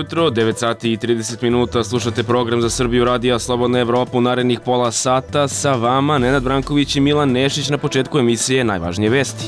jutro, 9 sati i 30 minuta, slušate program za Srbiju Radija Slobodna Evropa u narednih pola sata. Sa vama Nenad Branković i Milan Nešić na početku emisije Najvažnije vesti.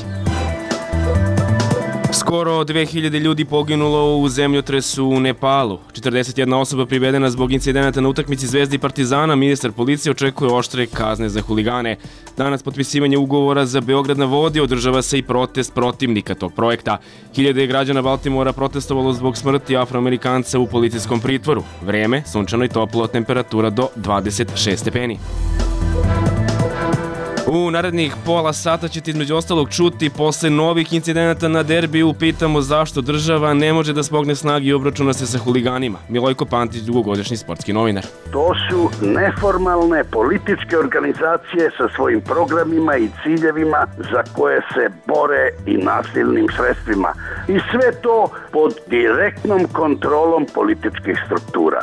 Skoro 2000 ljudi poginulo u zemljotresu u Nepalu. 41 osoba privedena zbog incidenata na utakmici Zvezde i Partizana. Ministar policije očekuje oštre kazne za huligane. Danas potpisivanje ugovora za Beograd na vodi, održava se i protest protivnika tog projekta. Hiljade građana Baltimora protestovalo zbog smrti Afroamerikanca u policijskom pritvoru. Vreme, sunčano i toplo, temperatura do 26 stepeni. U narednih pola sata ćete između ostalog čuti posle novih incidenata na derbiju. Pitamo zašto država ne može da smogne snagi i obračuna se sa huliganima. Milojko Pantić, dugogodišnji sportski novinar. To su neformalne političke organizacije sa svojim programima i ciljevima za koje se bore i nasilnim sredstvima. I sve to pod direktnom kontrolom političkih struktura.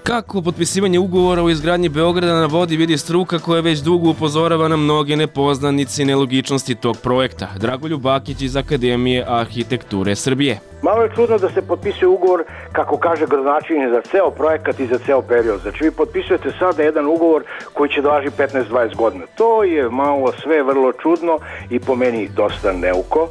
Kako potpisivanje ugovora o izgradnji Beograda na vodi vidi struka koja već dugo upozorava na mnoge nepoznanice i nelogičnosti tog projekta. Dragoljub Bakić iz Akademije arhitekture Srbije. Malo je čudno da se potpisuje ugovor, kako kaže gradonačelnik, za ceo projekat i za ceo period. Znači vi potpisujete sada jedan ugovor koji će da važi 15-20 godina. To je malo sve vrlo čudno i po meni dosta neuko.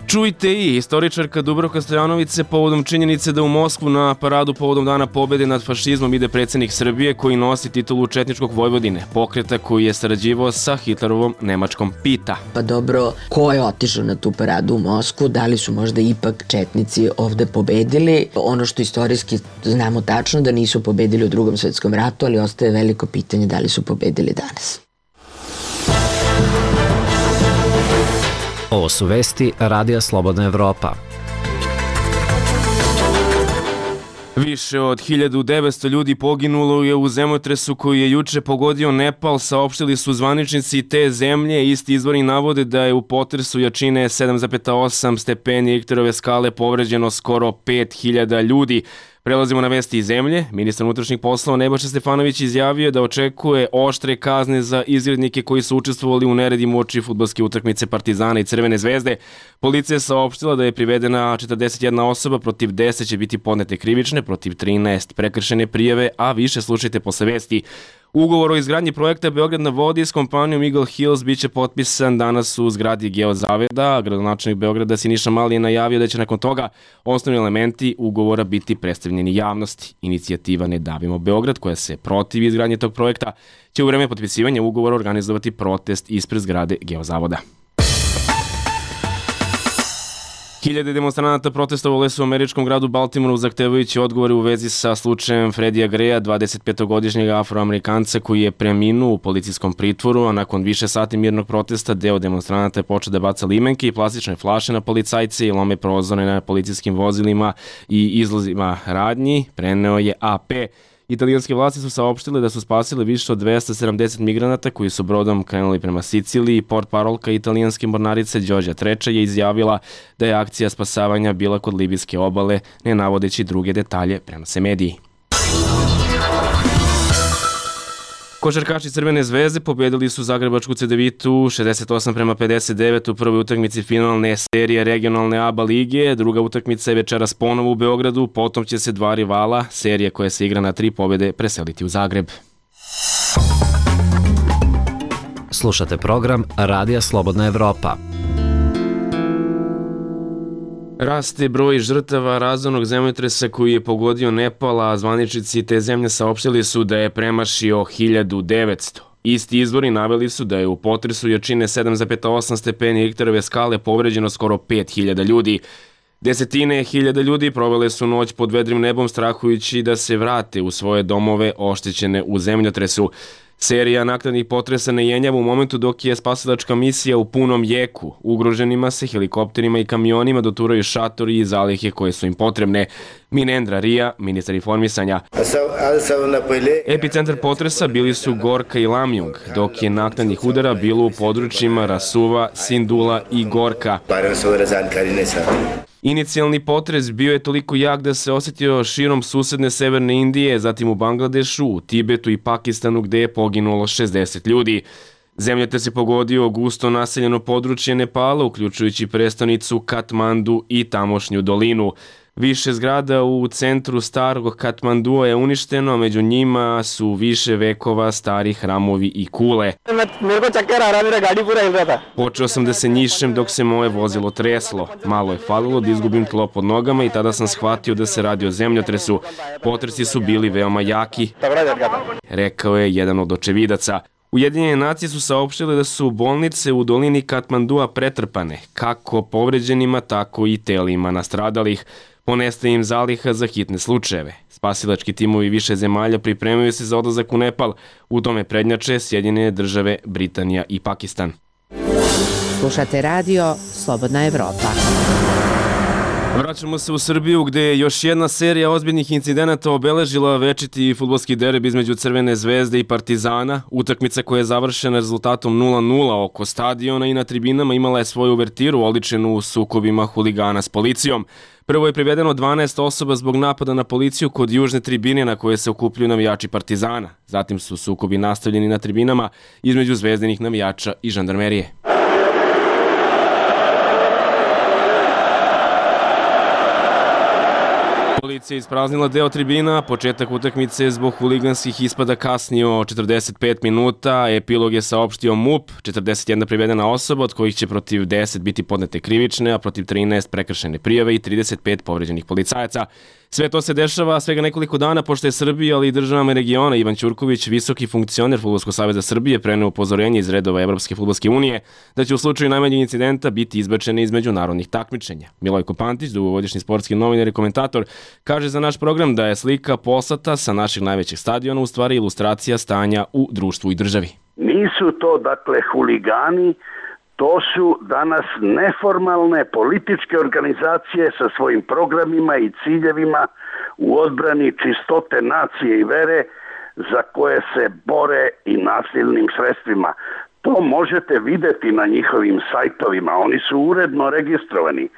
Čujte i istoričarka Dubravka Stojanović se povodom činjenice da u Moskvu na paradu povodom Dana pobede nad fašizmom ide predsjednik Srbije koji nosi titulu Četničkog Vojvodine, pokreta koji je sarađivao sa Hitlerovom Nemačkom, pita. Pa dobro, ko je otišao na tu paradu u Moskvu? Da li su možda ipak četnici ovde pobedili? Ono što istorijski znamo tačno da nisu pobedili u Drugom svetskom ratu, ali ostaje veliko pitanje da li su pobedili danas. Ovo su vesti Radija Slobodna Evropa. Više od 1900 ljudi poginulo je u zemljotresu koji je juče pogodio Nepal, saopštili su zvaničnici te zemlje. Isti izvori navode da je u potresu jačine 7,8 stepeni Richterove skale povređeno skoro 5000 ljudi. Prelazimo na vesti iz zemlje. Ministar unutrašnjih poslova Nebojša Stefanović izjavio da očekuje oštre kazne za izgrednike koji su učestvovali u neredima uoči fudbalske utakmice Partizana i Crvene zvezde. Policija je saopštila da je privedena 41 osoba, protiv 10 će biti podnete krivične, protiv 13 prekršene prijave, a više slušajte posle vesti. Ugovor o izgradnji projekta Beograd na vodi s kompanijom Eagle Hills biće potpisan danas u zgradi Geozaveda. Gradonačelnik Beograda Siniša Mali je najavio da će nakon toga osnovni elementi ugovora biti predstavljeni javnosti. Inicijativa Ne davimo Beograd, koja se protivi izgradnje tog projekta, će u vreme potpisivanja ugovora organizovati protest ispred zgrade Geozavoda. Hiljade demonstranata protestovale su u američkom gradu Baltimoru zahtevajući odgovore u vezi sa slučajem Freddija Greya, 25-godišnjeg Afroamerikanca koji je preminuo u policijskom pritvoru, a nakon više sati mirnog protesta deo demonstranata je počeo da baca limenke i plastične flaše na policajce i lome prozore na policijskim vozilima i izlazima radnji, preneo je AP. Italijanske vlasti su saopštile da su spasile više od 270 migranata koji su brodom krenuli prema Siciliji. Portparolka italijanske mornarice Đorđa Treča je izjavila da je akcija spasavanja bila kod libijske obale, ne navodeći druge detalje, prenose mediji. Košarkaši Crvene zvezde pobedili su zagrebačku Cedevitu 68-59 u prvoj utakmici finalne serije regionalne ABA lige. Druga utakmica je večeras ponovo u Beogradu, potom će se dva rivala, serija koja se igra na 3 pobede, preseliti u Zagreb. Slušate program Radija Slobodna Evropa. Raste broj žrtava razornog zemljotresa koji je pogodio Nepal, a zvaničnici te zemlje saopštili su da je premašio 1900. Isti izvori naveli su da je u potresu jačine 7,8 stepeni Richterove skale povređeno skoro 5000 ljudi. Desetine hiljada ljudi provele su noć pod vedrim nebom strahujući da se vrate u svoje domove oštećene u zemljotresu. Serija naknadnih potresa ne jenjava u momentu dok je spasilačka misija u punom jeku. Ugroženima se helikopterima i kamionima doturaju šatori i zalihe koje su im potrebne. Minendra Rija, ministar informisanja. Epicentar potresa bili su Gorka i Lamjung, dok je naknadnih udara bilo u područjima Rasuva, Sindula i Gorka. Inicijalni potres bio je toliko jak da se osjetio širom susedne severne Indije, zatim u Bangladešu, u Tibetu i Pakistanu gde je poginulo 60 ljudi. Zemljotres je pogodio gusto naseljeno područje Nepala, uključujući prestonicu Katmandu i tamošnju dolinu. Više zgrada u centru starog Katmandua je uništeno, a među njima su više vekova stari hramovi i kule. Počeo sam da se njišem dok se moje vozilo treslo. Malo je falilo da izgubim tlo pod nogama i tada sam shvatio da se radi o zemljotresu. Potresi su bili veoma jaki, rekao je jedan od očevidaca. Ujedinjene nacije su saopštile da su bolnice u dolini Katmandua pretrpane, kako povređenima, tako i telima nastradalih. Ponestaje im zaliha za hitne slučajeve. Spasilački timovi više zemalja pripremaju se za odlazak u Nepal. U tome prednjače Sjedinjene države, Britanija i Pakistan. Slušate radio Slobodna Evropa. Vraćamo se u Srbiju gde je još jedna serija ozbiljnih incidenata obeležila večiti fudbalski derbi između Crvene zvezde i Partizana. Utakmica koja je završena rezultatom 0:0 oko stadiona i na tribinama imala je svoju uvertiru oličenu sukobima huligana s policijom. Prvo je privedeno 12 osoba zbog napada na policiju kod južne tribine na koje se okupljuju navijači Partizana. Zatim su sukobi nastavljeni na tribinama između zvezdinih navijača i žandarmerije. Policija je ispraznila deo tribina, početak utakmice zbog huliganskih ispada kasnio 45 minuta, epilog je saopštio MUP, 41 privedena osoba, od kojih će protiv 10 biti podnete krivične, a protiv 13 prekršajne prijave i 35 povređenih policajaca. Sve to se dešava svega nekoliko dana pošto je Srbija, ali i državama regiona Ivan Ćurković, visoki funkcioner Fudbalskog saveza Srbije, preneo upozorenje iz redova Evropske fudbalske unije da će u slučaju najmanjeg incidenta biti izbačene iz međunarodnih takmičenja. Milojko Pantić, dugogodišnji sportski novinar i komentator, kaže za naš program da je slika poslata sa naših najvećih stadiona u stvari ilustracija stanja u društvu i državi. Nisu to dakle huligani, to su danas neformalne političke organizacije sa svojim programima i ciljevima u odbrani čistote nacije i vere za koje se bore i nasilnim sredstvima. To možete videti na njihovim sajtovima, oni su uredno registrovani.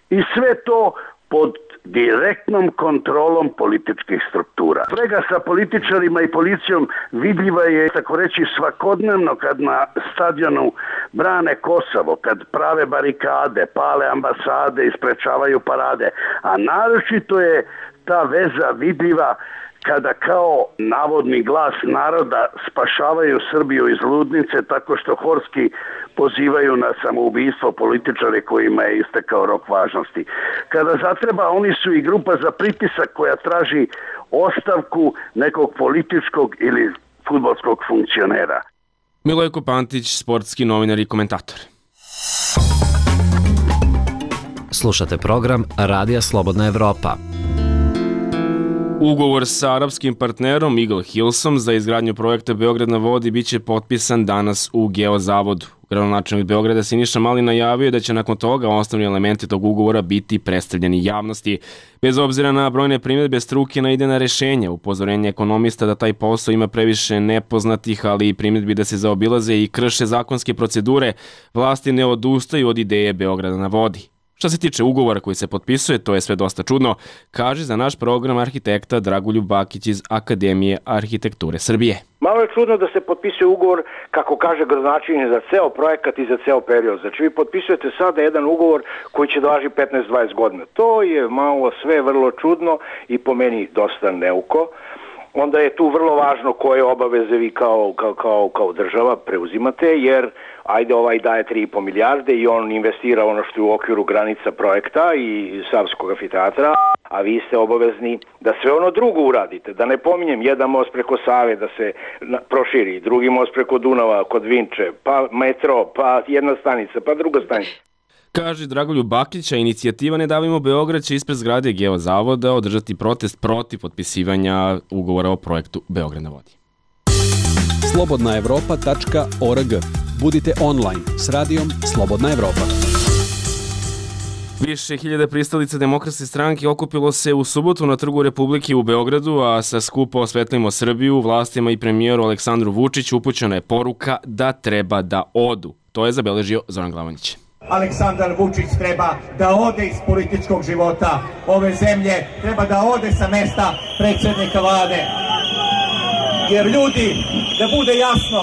I sve to pod direktnom kontrolom političkih struktura. Sprega sa političarima i policijom vidljiva je, tako reći, svakodnevno kad na stadionu brane Kosovo, kad prave barikade, pale ambasade i sprečavaju parade. A naročito je ta veza vidljiva kada kao navodni glas naroda spašavaju Srbiju iz ludnice tako što horski pozivaju na samoubistvo političare kojima je istekao rok važnosti. Kada zatreba, oni su i grupa za pritisak koja traži ostavku nekog političkog ili fudbalskog funkcionera. Milojko Pantić, sportski novinar i komentator. Slušate program Radija Slobodna Evropa. Ugovor sa arapskim partnerom Eagle Hillsom za izgradnju projekta Beograd na vodi biće potpisan danas u Geozavodu. Gradonačelnik Beograda Siniša Mali najavio da će nakon toga osnovni elementi tog ugovora biti predstavljeni javnosti. Bez obzira na brojne primjedbe struke na idejna rešenja, upozorenje ekonomista da taj posao ima previše nepoznatih, ali i primjedbi da se zaobilaze i krše zakonske procedure, vlasti ne odustaju od ideje Beograda na vodi. Što se tiče ugovora koji se potpisuje, to je sve dosta čudno, kaže za naš program arhitekta Dragoljub Bakić iz Akademije arhitekture Srbije. Malo je čudno da se potpisuje ugovor, kako kaže gradonačelnik, za ceo projekat i za ceo period. Znači vi potpisujete sada jedan ugovor koji će da važi 15-20 godina. To je malo sve vrlo čudno i po meni dosta neuko. Onda je tu vrlo važno koje obaveze vi kao država preuzimate, jer ajde ovaj daje 3,5 milijarde i on investira ono što je u okviru granica projekta i Savskog amfiteatra, a vi ste obavezni da sve ono drugo uradite. Da ne pominjem, jedan most preko Save da se proširi, drugi most preko Dunava kod Vinče, pa metro, pa jedna stanica, pa druga stanica. Kaže Dragoljub Bakić, inicijativa Ne davimo Beograd će ispred zgrade Geozavoda održati protest protiv potpisivanja ugovora o projektu Beograd na vodi. slobodnaevropa.org. Budite online s radijom Slobodna Evropa. Više hiljada pristalica Demokratske stranke okupilo se u subotu na Trgu Republike u Beogradu, a sa skupa Osvetlimo Srbiju vlastima i premijeru Aleksandru Vučiću upućena je poruka da treba da odu. To je zabeležio Zoran Glavanić. Aleksandar Vučić treba da ode iz političkog života ove zemlje, treba da ode sa mesta predsjednika vlade. Jer ljudi, da bude jasno,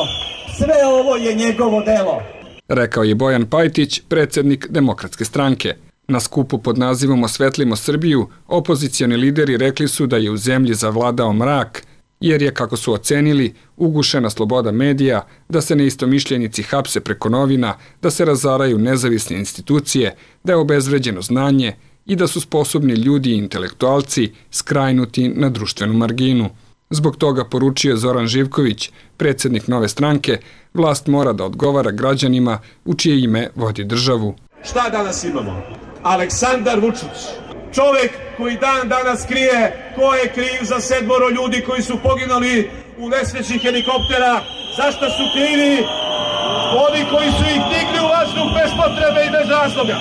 sve ovo je njegovo delo. Rekao je Bojan Pajtić, predsjednik Demokratske stranke. Na skupu pod nazivom Osvetlimo Srbiju, opozicioni lideri rekli su da je u zemlji zavladao mrak, jer je, kako su ocenili, ugušena sloboda medija, da se neistomišljenici hapse preko novina, da se razaraju nezavisne institucije, da je obezvređeno znanje i da su sposobni ljudi i intelektualci skrajnuti na društvenu marginu. Zbog toga, poručio Zoran Živković, predsjednik Nove stranke, vlast mora da odgovara građanima u čije ime vodi državu. Šta danas imamo? Aleksandar Vučić, čovjek koji dan danas krije ko je kriv za 7 ljudi koji su poginuli u nesreći helikoptera. Zašto su krivi? Oni koji su ih digli u vazduh bez potrebe i bez razloga.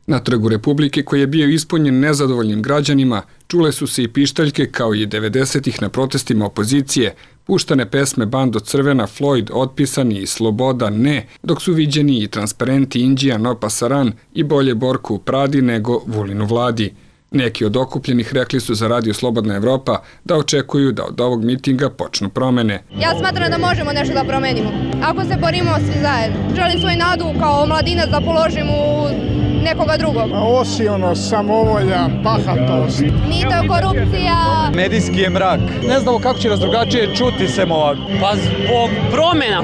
Na Trgu Republike, koji je bio ispunjen nezadovoljnim građanima, čule su se i pištaljke kao i 90-ih na protestima opozicije, puštane pesme Bando Crvena, Floyd, Otpisani i Sloboda ne, dok su viđeni i transparenti Indija no pasaran i bolje Borku u Pradi nego Vulinu vladi. Neki od okupljenih rekli su za Radio Slobodna Evropa da očekuju da od ovog mitinga počnu promene. Ja smatram da možemo nešto da promenimo, ako se borimo svi zajedno. Želim svoju nadu kao mladinac da položim u nekoga drugog. Osionost, samovolja, bahatost. Mito, korupcija. Medijski je mrak. Ne znamo kako će nas drugačije čuti sem ovako. Pa zbog promjena.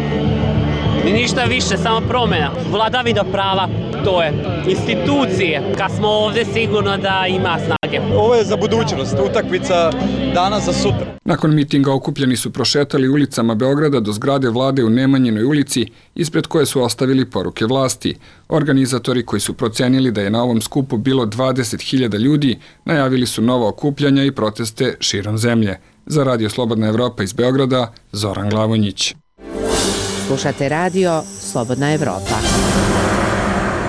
I ništa više, samo promjena. Vladavina prava, to je. Institucije. Kad smo ovdje, sigurno da ima snage. Ovo je za budućnost, utakmica danas za sutra. Nakon mitinga okupljeni su prošetali ulicama Beograda do zgrade vlade u Nemanjinoj ulici, ispred koje su ostavili poruke vlasti. Organizatori, koji su procenili da je na ovom skupu bilo 20.000 ljudi, najavili su nova okupljanja i proteste širom zemlje. Za Radio Slobodna Evropa iz Beograda, Zoran Glavonjić. Slušate radio Slobodna Evropa.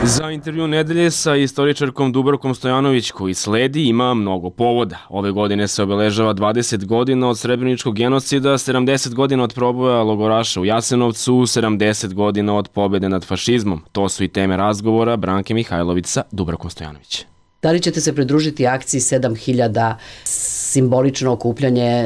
Za intervju nedelje sa istoričarkom Dubravkom Stojanović koji sledi ima mnogo povoda. Ove godine se obeležava 20 godina od Srebreničkog genocida, 70 godina od proboja logoraša u Jasenovcu, 70 godina od pobjede nad fašizmom. To su i teme razgovora Branke Mihajlović sa Dubravkom Stojanović. Da li ćete se pridružiti akciji 7000 simbolično okupljanje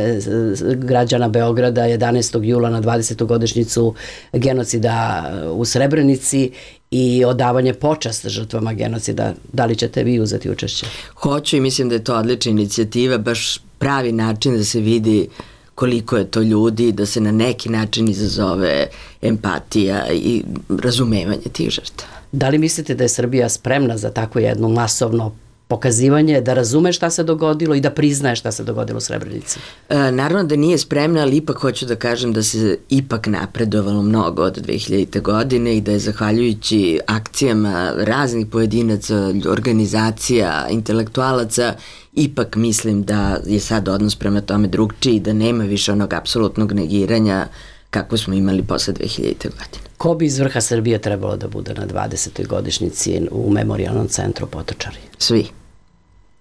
građana Beograda 11. jula na 20. godišnjicu genocida u Srebrenici i odavanje počast žrtvama genocida? Da li ćete vi uzeti učešće? Hoću i mislim da je to odlična inicijativa, baš pravi način da se vidi koliko je to ljudi, da se na neki način izazove empatija i razumevanje tih žrtava. Da li mislite da je Srbija spremna za tako jedno masovno pokazivanje, da razume šta se dogodilo i da priznaje šta se dogodilo u Srebrenici? Naravno da nije spremna, ali ipak hoću da kažem da se ipak napredovalo mnogo od 2000. godine i da je zahvaljujući akcijama raznih pojedinaca, organizacija, intelektualaca, ipak mislim da je sad odnos prema tome drugčiji, da nema više onog apsolutnog negiranja kako smo imali posle 2000. godine. Ko bi iz vrha Srbije trebalo da bude na 20. godišnjici u Memorijalnom centru Potočari? Svi.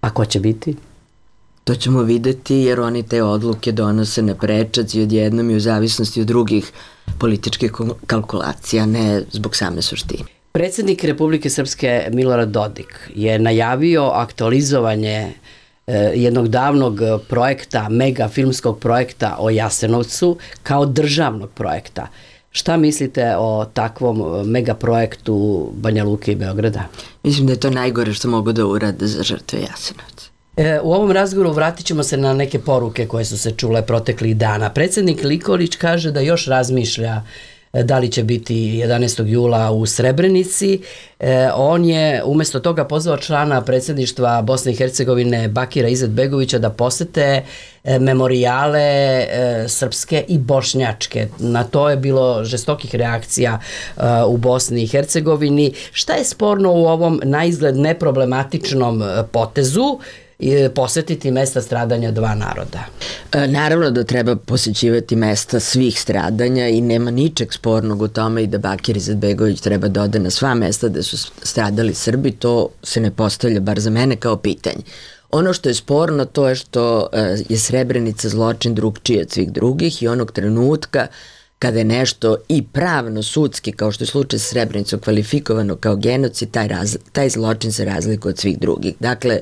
A ko će biti? To ćemo videti jer oni te odluke donose na prečac i odjednom i u zavisnosti od drugih političkih kalkulacija, ne zbog same suštine. Predsjednik Republike Srpske Milorad Dodik je najavio aktualizovanje jednog davnog projekta, mega filmskog projekta o Jasenovcu kao državnog projekta. Šta mislite o takvom megaprojektu Banja Luke i Beograda? Mislim da je to najgore što mogu da urade za žrtve Jasenovca. U ovom razgovoru vratit ćemo se na neke poruke koje su se čule proteklih dana. Predsjednik Nikolić kaže da još razmišlja da li će biti 11. jula u Srebrenici. On je umjesto toga pozvao člana predsjedništva Bosne i Hercegovine Bakira Izetbegovića da posete memorijale srpske i bošnjačke. Na to je bilo žestokih reakcija u Bosni i Hercegovini. Šta je sporno u ovom naizgled neproblematičnom potezu posjetiti mesta stradanja dva naroda? Naravno da treba posjećivati mesta svih stradanja i nema ničeg spornog u tome i da Bakir Izetbegović treba da ode na sva mesta gde su stradali Srbi, to se ne postavlja bar za mene kao pitanje. Ono što je sporno to je što je Srebrenica zločin drugčiji od svih drugih i onog trenutka kada je nešto i pravno, sudski, kao što je slučaj sa Srebrenicom, kvalifikovano kao genocid, taj zločin se razlikuje od svih drugih. Dakle,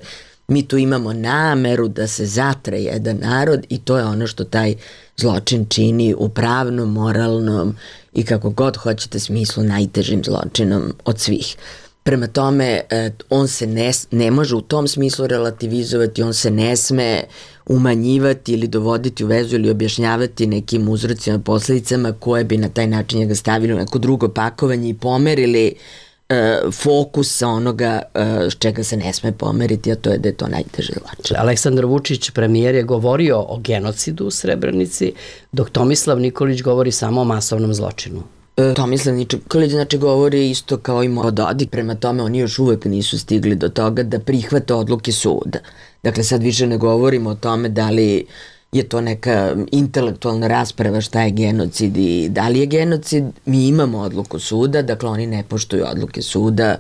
mi tu imamo nameru da se zatre jedan narod i to je ono što taj zločin čini u pravnom, moralnom i kako god hoćete smislu najtežim zločinom od svih. Prema tome, on se ne može u tom smislu relativizovati, on se ne sme umanjivati ili dovoditi u vezu ili objašnjavati nekim uzrocima, posledicama koje bi na taj način njega stavili u neko drugo pakovanje i pomerili fokus sa onoga s čega se ne sme pomeriti, a to je da je to najteže zločin. Aleksandar Vučić, premijer, je govorio o genocidu u Srebrenici, dok Tomislav Nikolić govori samo o masovnom zločinu. Tomislav Nikolić znači govori isto kao i Dodik, prema tome oni još uvek nisu stigli do toga da prihvate odluke suda. Dakle, sad više ne govorimo o tome da li je to neka intelektualna rasprava šta je genocid i da li je genocid. Mi imamo odluku suda, dakle oni ne poštuju odluke suda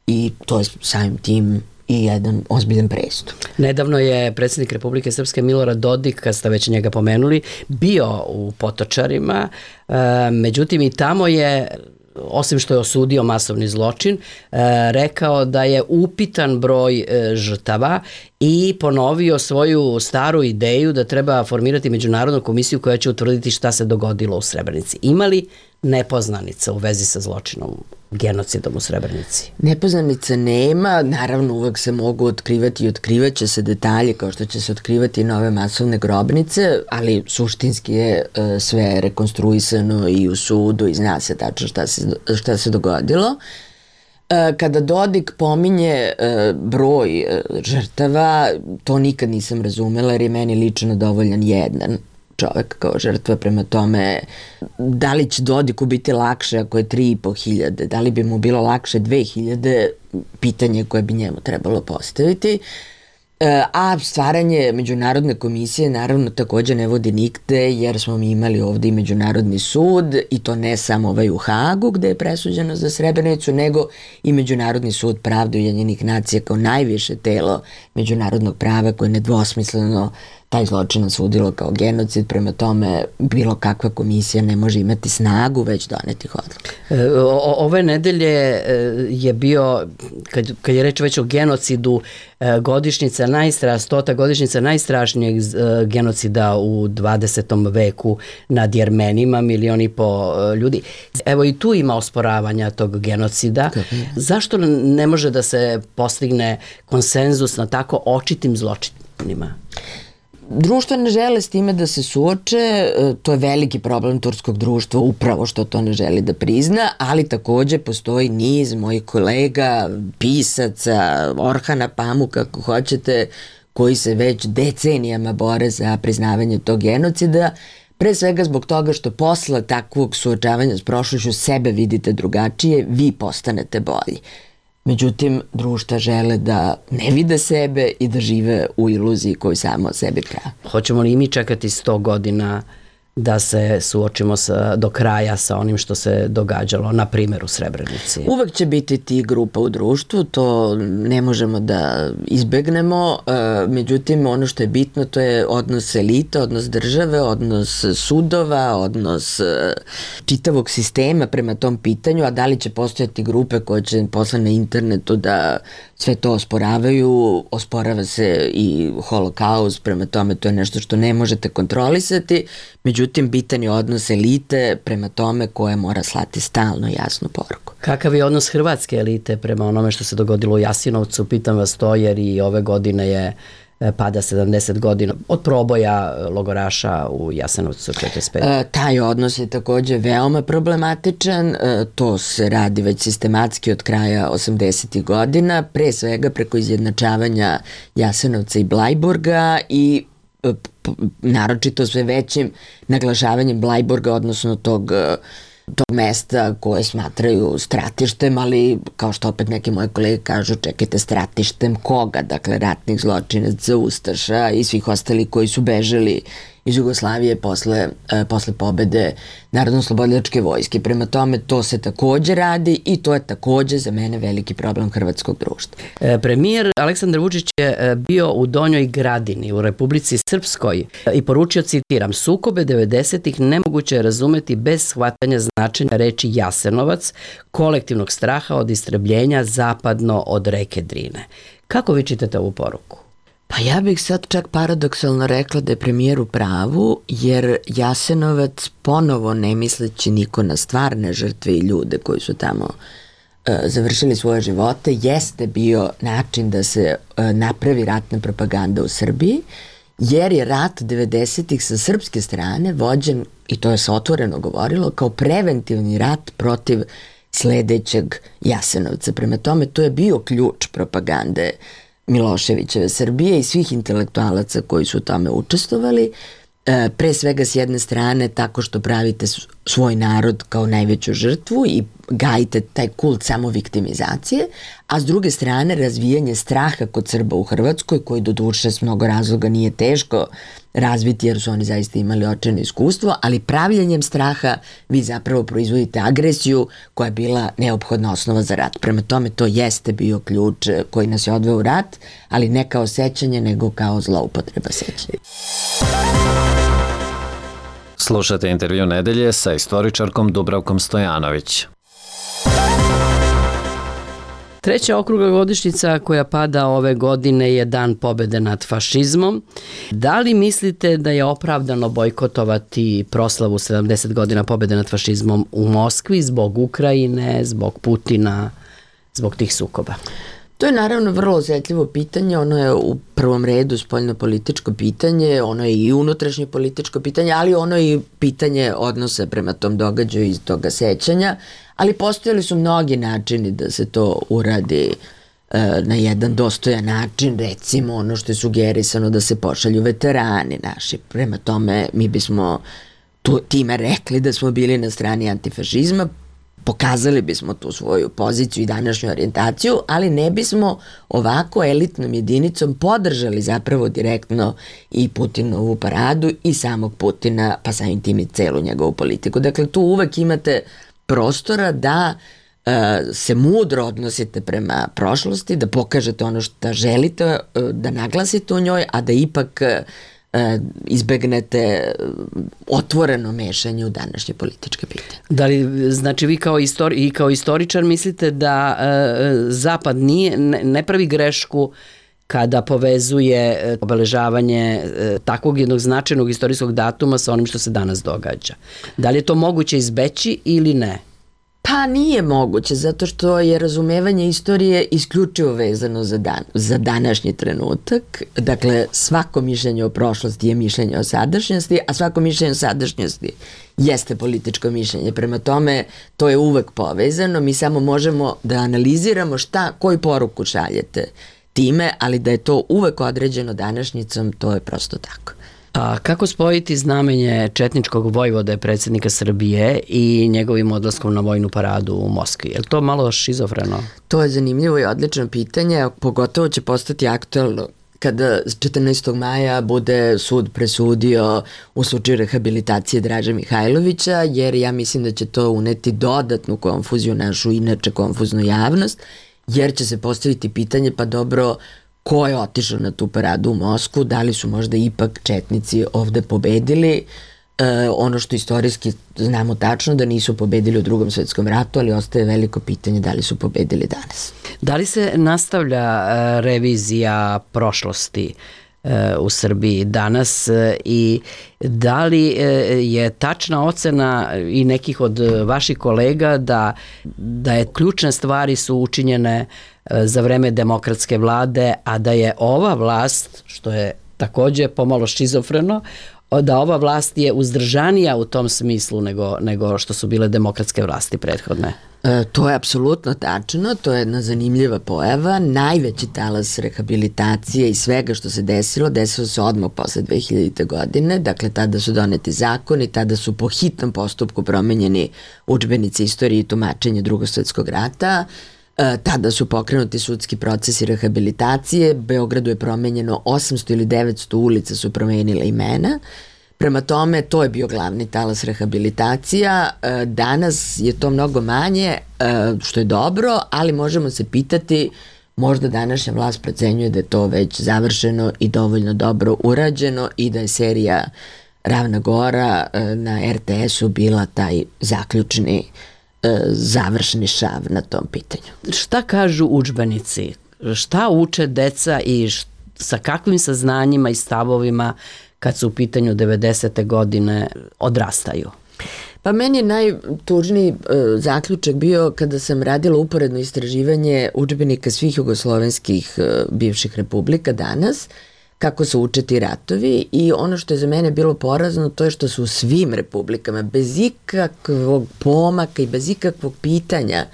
i to je samim tim i jedan ozbiljan prestup. Nedavno je predsjednik Republike Srpske Milorad Dodik, kad ste već njega pomenuli, bio u Potočarima, međutim i tamo je, osim što je osudio masovni zločin, rekao da je upitan broj žrtava i ponovio svoju staru ideju da treba formirati međunarodnu komisiju koja će utvrditi šta se dogodilo u Srebrenici. Ima li nepoznanica u vezi sa zločinom, genocidom u Srebrenici? Nepoznanica nema, naravno uvek se mogu otkrivati i otkrivaće se detalje kao što će se otkrivati nove masovne grobnice, ali suštinski je sve rekonstruisano i u sudu i zna se tačno šta se dogodilo. Kada Dodik pominje broj žrtava, to nikad nisam razumela jer je meni lično dovoljan jedan čovek kao žrtva, prema tome da li će Dodiku biti lakše ako je 3.500, da li bi mu bilo lakše 2.000, pitanje koje bi njemu trebalo postaviti. A stvaranje međunarodne komisije naravno takođe ne vodi nigde, jer smo mi imali ovde i Međunarodni sud i to ne samo ovaj u Hagu gde je presuđeno za Srebrenicu, nego i Međunarodni sud pravde Ujedinjenih nacija kao najviše telo međunarodnog prava koje nedvosmisleno taj zločin osudilo kao genocid, prema tome bilo kakva komisija ne može imati snagu već donetih odluka. Ove nedelje je bio, kad je reč već o genocidu, godišnjica 100. godišnjica najstrašnijeg genocida u 20. veku nad Jermenima, 1,5 miliona ljudi. Evo i tu ima osporavanja tog genocida. Zašto ne može da se postigne konsenzus na tako očitim zločinima? Društvo ne žele s time da se suoče, to je veliki problem turskog društva, upravo što to ne želi da prizna, ali takođe postoji niz mojih kolega, pisaca, Orhana Pamuka, ako hoćete, koji se već decenijama bore za priznavanje tog genocida, pre svega zbog toga što posle takvog suočavanja s prošlošću sebe vidite drugačije, vi postanete bolji. Međutim, društva žele da ne vide sebe i da žive u iluziji koju samo o sebi prave. Hoćemo li mi čekati 100 godina da se suočimo do kraja sa onim što se događalo, na primjer u Srebrenici? Uvek će biti ti grupa u društvu, to ne možemo da izbegnemo, međutim ono što je bitno to je odnos elita, odnos države, odnos sudova, odnos čitavog sistema prema tom pitanju, a da li će postojati grupe koje će posle na internetu da sve to osporavaju, osporava se i holokaust, prema tome to je nešto što ne možete kontrolisati, međutim bitan je odnos elite prema tome koje mora slati stalno jasnu poruku. Kakav je odnos hrvatske elite prema onome što se dogodilo u Jasenovcu? Pitam vas to jer i ove godine je pada 70 godina od proboja logoraša u Jasenovcu 45. Taj odnos je takođe veoma problematičan, to se radi već sistematski od kraja 80. godina, pre svega preko izjednačavanja Jasenovca i Blajburga i naročito sve većim naglašavanjem Blajburga, odnosno tog mesta koje smatraju stratištem, ali kao što opet neke moje kolege kažu, čekajte, stratištem koga? Dakle, ratnih zločinaca, ustaša i svih ostali koji su bežali iz Jugoslavije posle pobede Narodno-oslobodilačke vojske. Prema tome, to se takođe radi i to je takođe za mene veliki problem hrvatskog društva. Premijer Aleksandar Vučić je bio u Donjoj Gradini u Republici Srpskoj i poručio, citiram, sukobe 90-ih nemoguće je razumeti bez shvatanja značenja reči Jasenovac, kolektivnog straha od istrebljenja zapadno od reke Drine. Kako vi čitate ovu poruku? Pa ja bih sad čak paradoksalno rekla da je premijer u pravu, jer Jasenovac ponovo ne misleći niko na stvarne žrtve i ljude koji su tamo završili svoje živote, jeste bio način da se napravi ratna propaganda u Srbiji, jer je rat 90-ih sa srpske strane vođen, i to je se otvoreno govorilo, kao preventivni rat protiv sledećeg Jasenovca. Prema tome, to je bio ključ propagande Miloševićeve Srbije i svih intelektualaca koji su u tome učestvovali, pre svega s jedne strane tako što pravite svoj narod kao najveću žrtvu i gajite taj kult samoviktimizacije, a s druge strane razvijanje straha kod Srba u Hrvatskoj, koji do duše s mnogo razloga nije teško razviti jer su oni zaista imali očajno iskustvo, ali pravljanjem straha vi zapravo proizvodite agresiju koja je bila neophodna osnova za rat. Prema tome to jeste bio ključ koji nas je odveo u rat, ali ne kao sećanje nego kao zloupotreba sećanja. Slušate intervju nedelje sa istoričarkom Dubravkom Stojanović. Treća okrugla godišnjica koja pada ove godine je Dan pobede nad fašizmom. Da li mislite da je opravdano bojkotovati proslavu 70 godina pobede nad fašizmom u Moskvi zbog Ukrajine, zbog Putina, zbog tih sukoba? To je naravno vrlo osjetljivo pitanje, ono je u prvom redu spoljno-političko pitanje, ono je i unutrašnje političko pitanje, ali ono je i pitanje odnosa prema tom događaju iz toga sećanja, ali postojali su mnogi načini da se to uradi na jedan dostojan način, recimo ono što je sugerisano da se pošalju veterani naši. Prema tome mi bismo time rekli da smo bili na strani antifašizma, pokazali bismo tu svoju poziciju i današnju orijentaciju, ali ne bismo ovako elitnom jedinicom podržali zapravo direktno i Putinovu paradu i samog Putina, pa samim tim i celu njegovu politiku. Dakle, tu uvek imate prostora da se mudro odnosite prema prošlosti, da pokažete ono što želite da naglasite u njoj, a da ipak izbegnete otvoreno mešanje u današnje političke pitanje. Da li, znači vi kao istoričar mislite da Zapad ne pravi grešku kada povezuje obeležavanje takvog jednog značajnog istorijskog datuma sa onim što se danas događa? Da li je to moguće izbeći ili ne? Pa nije moguće, zato što je razumevanje istorije isključivo vezano za današnji trenutak. Dakle, svako mišljenje o prošlosti je mišljenje o sadašnjosti, a svako mišljenje o sadašnjosti jeste političko mišljenje. Prema tome, to je uvek povezano. Mi samo možemo da analiziramo koju poruku šaljete time, ali da je to uvek određeno današnjicom, to je prosto tako. A kako spojiti znamenje četničkog vojvode predsjednika Srbije i njegovim odlaskom na vojnu paradu u Moskvi? Je li to malo šizofreno? To je zanimljivo i odlično pitanje, pogotovo će postati aktualno kada 14. maja bude sud presudio u slučaju rehabilitacije Draže Mihajlovića, jer ja mislim da će to uneti dodatnu konfuziju našu inače konfuznu javnost, jer će se postaviti pitanje, pa dobro, ko je otišao na tu paradu u Moskvu, da li su možda ipak četnici ovde pobedili, ono što istorijski znamo tačno da nisu pobedili u Drugom svetskom ratu, ali ostaje veliko pitanje da li su pobedili danas. Da li se nastavlja revizija prošlosti u Srbiji danas i da li je tačna ocena i nekih od vaših kolega da je ključne stvari su učinjene za vreme demokratske vlade, a da je ova vlast, što je takođe pomalo šizofreno, da ova vlast je uzdržanija u tom smislu nego što su bile demokratske vlasti prethodne? To je apsolutno tačno, to je jedna zanimljiva pojava. Najveći talas rehabilitacije i svega što se desilo se odmah posle 2000. godine, dakle tada su doneti zakoni, tada su po hitnom postupku promenjeni udžbenici istorije i tumačenja Drugog svjetskog rata, tada su pokrenuti sudski procesi rehabilitacije, Beogradu je promenjeno 800 ili 900 ulica su promenile imena. Prema tome, to je bio glavni talas rehabilitacija. Danas je to mnogo manje, što je dobro, ali možemo se pitati, možda današnja vlast procenjuje da je to već završeno i dovoljno dobro urađeno i da je serija Ravna Gora na RTS-u bila taj zaključni završni šav na tom pitanju. Šta kažu udžbenici? Šta uče deca i sa kakvim saznanjima i stavovima kad su u pitanju 90. godine odrastaju? Pa meni je najtužniji zaključak bio kada sam radila uporedno istraživanje udžbenika svih jugoslovenskih bivših republika danas, kako se uče ti ratovi, i ono što je za mene bilo porazno to je što su u svim republikama bez ikakvog pomaka i bez ikakvog pitanja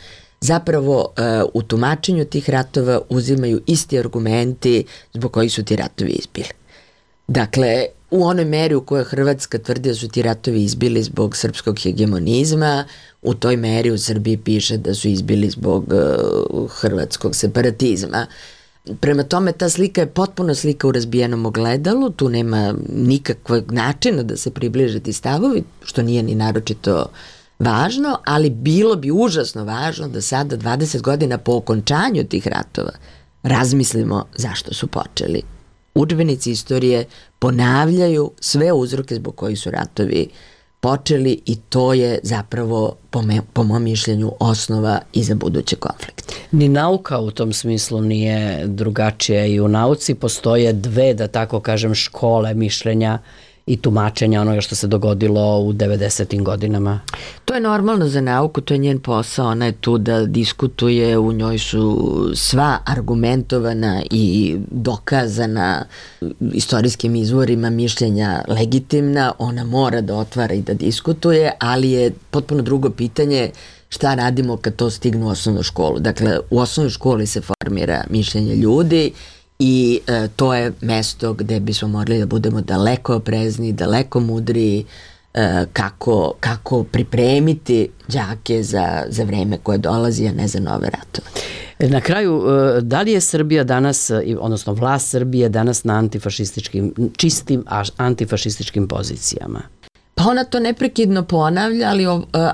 zapravo u tumačenju tih ratova uzimaju isti argumenti zbog kojih su ti ratovi izbili. Dakle, u onoj meri u kojoj Hrvatska tvrdi da su ti ratovi izbili zbog srpskog hegemonizma, u toj meri u Srbiji piše da su izbili zbog hrvatskog separatizma. Prema tome, ta slika je potpuno slika u razbijenom ogledalu, tu nema nikakvog načina da se približe ti stavovi, što nije ni naročito važno, ali bilo bi užasno važno da sada 20 godina po okončanju tih ratova razmislimo zašto su počeli. Udžbenici istorije ponavljaju sve uzroke zbog kojih su ratovi počeli i to je zapravo, po mom mišljenju, osnova i za buduće konflikte. Ni nauka u tom smislu nije drugačija i u nauci postoje dve, da tako kažem, škole mišljenja i tumačenja onoga što se dogodilo u 90. godinama. To je normalno za nauku, to je njen posao, ona je tu da diskutuje, u njoj su sva argumentovana i dokazana istorijskim izvorima mišljenja legitimna, ona mora da otvara i da diskutuje, ali je potpuno drugo pitanje šta radimo kad to stigne u osnovnu školu. Dakle, u osnovnoj školi se formira mišljenje ljudi i to je mesto gde bismo morali da budemo daleko oprezni, daleko mudriji, kako pripremiti đake za vreme koje dolazi, a ne za nove ratove. Na kraju, da li je Srbija danas, odnosno vlast Srbije danas na čistim antifašističkim pozicijama? Pa ona to neprekidno ponavlja,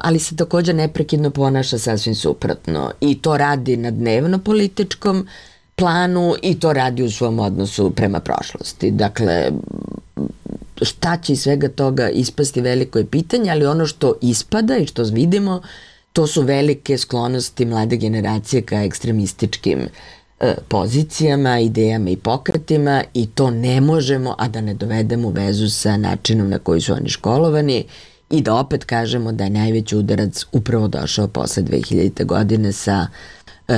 ali se također neprekidno ponaša sasvim suprotno. I to radi na dnevno političkom planu i to radi u svom odnosu prema prošlosti. Dakle, šta će iz svega toga ispasti veliko je pitanje, ali ono što ispada i što vidimo, to su velike sklonosti mlade generacije ka ekstremističkim pozicijama, idejama i pokretima i to ne možemo, a da ne dovedemo u vezu sa načinom na koji su oni školovani i da opet kažemo da je najveći udarac upravo došao posle 2000. godine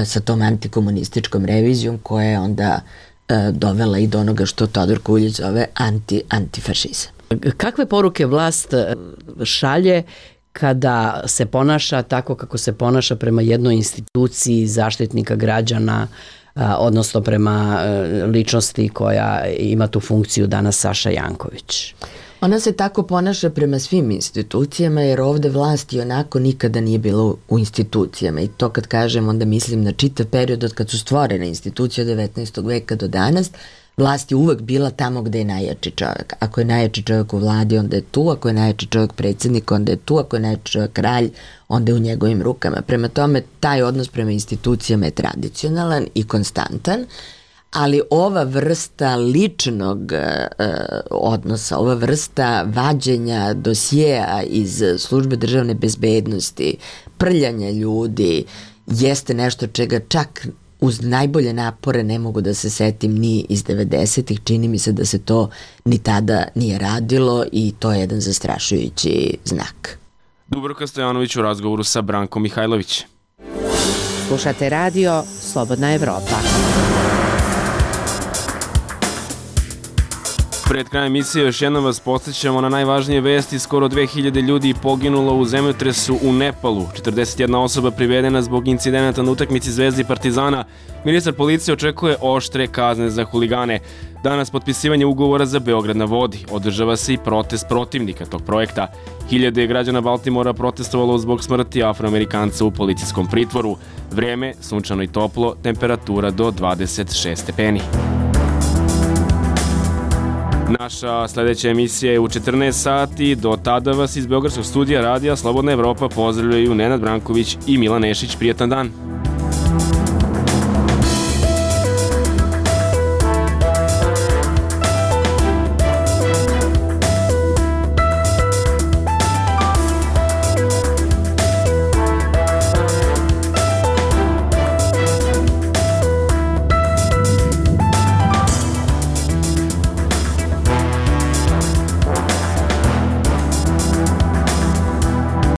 sa tom antikomunističkom revizijom koja je onda dovela i do onoga što Todor Kuljić zove antifašizam. Kakve poruke vlast šalje kada se ponaša tako kako se ponaša prema jednoj instituciji zaštitnika građana, odnosno prema ličnosti koja ima tu funkciju danas, Saša Janković? Ona se tako ponaša prema svim institucijama jer ovde vlast i onako nikada nije bilo u institucijama i to kad kažem onda mislim na čitav period od kad su stvorene institucije od 19. veka do danas. Vlast je uvek bila tamo gde je najjači čovjek. Ako je najjači čovjek u vladi, onda je tu. Ako je najjači čovjek predsjednik, onda je tu. Ako je najjači čovjek kralj, onda je u njegovim rukama. Prema tome, taj odnos prema institucijama je tradicionalan i konstantan, ali ova vrsta ličnog odnosa, ova vrsta vađenja dosjea iz službe državne bezbednosti, prljanja ljudi, jeste nešto čega čak uz najbolje napore ne mogu da se setim ni iz 90-ih, čini mi se da se to ni tada nije radilo i to je jedan zastrašujući znak. Dubravka Stojanović u razgovoru sa Brankom Mihajlović. Slušate radio Slobodna Evropa. Pred krajem emisije još jednom vas podsjećamo na najvažnije vesti. Skoro 2000 ljudi poginulo u zemljotresu u Nepalu. 41 osoba privedena zbog incidenata na utakmici Zvezde i Partizana. Ministar policije očekuje oštre kazne za huligane. Danas potpisivanje ugovora za Beograd na vodi. Održava se i protest protivnika tog projekta. Hiljade je građana Baltimora protestovalo zbog smrti Afroamerikanca u policijskom pritvoru. Vreme, sunčano i toplo, temperatura do 26 stepeni. Naša sljedeća emisija je u 14 sati. Do tada vas iz Beogradskog studija radija Slobodna Evropa pozdravljaju Nenad Branković i Milan Nešić. Prijetan dan!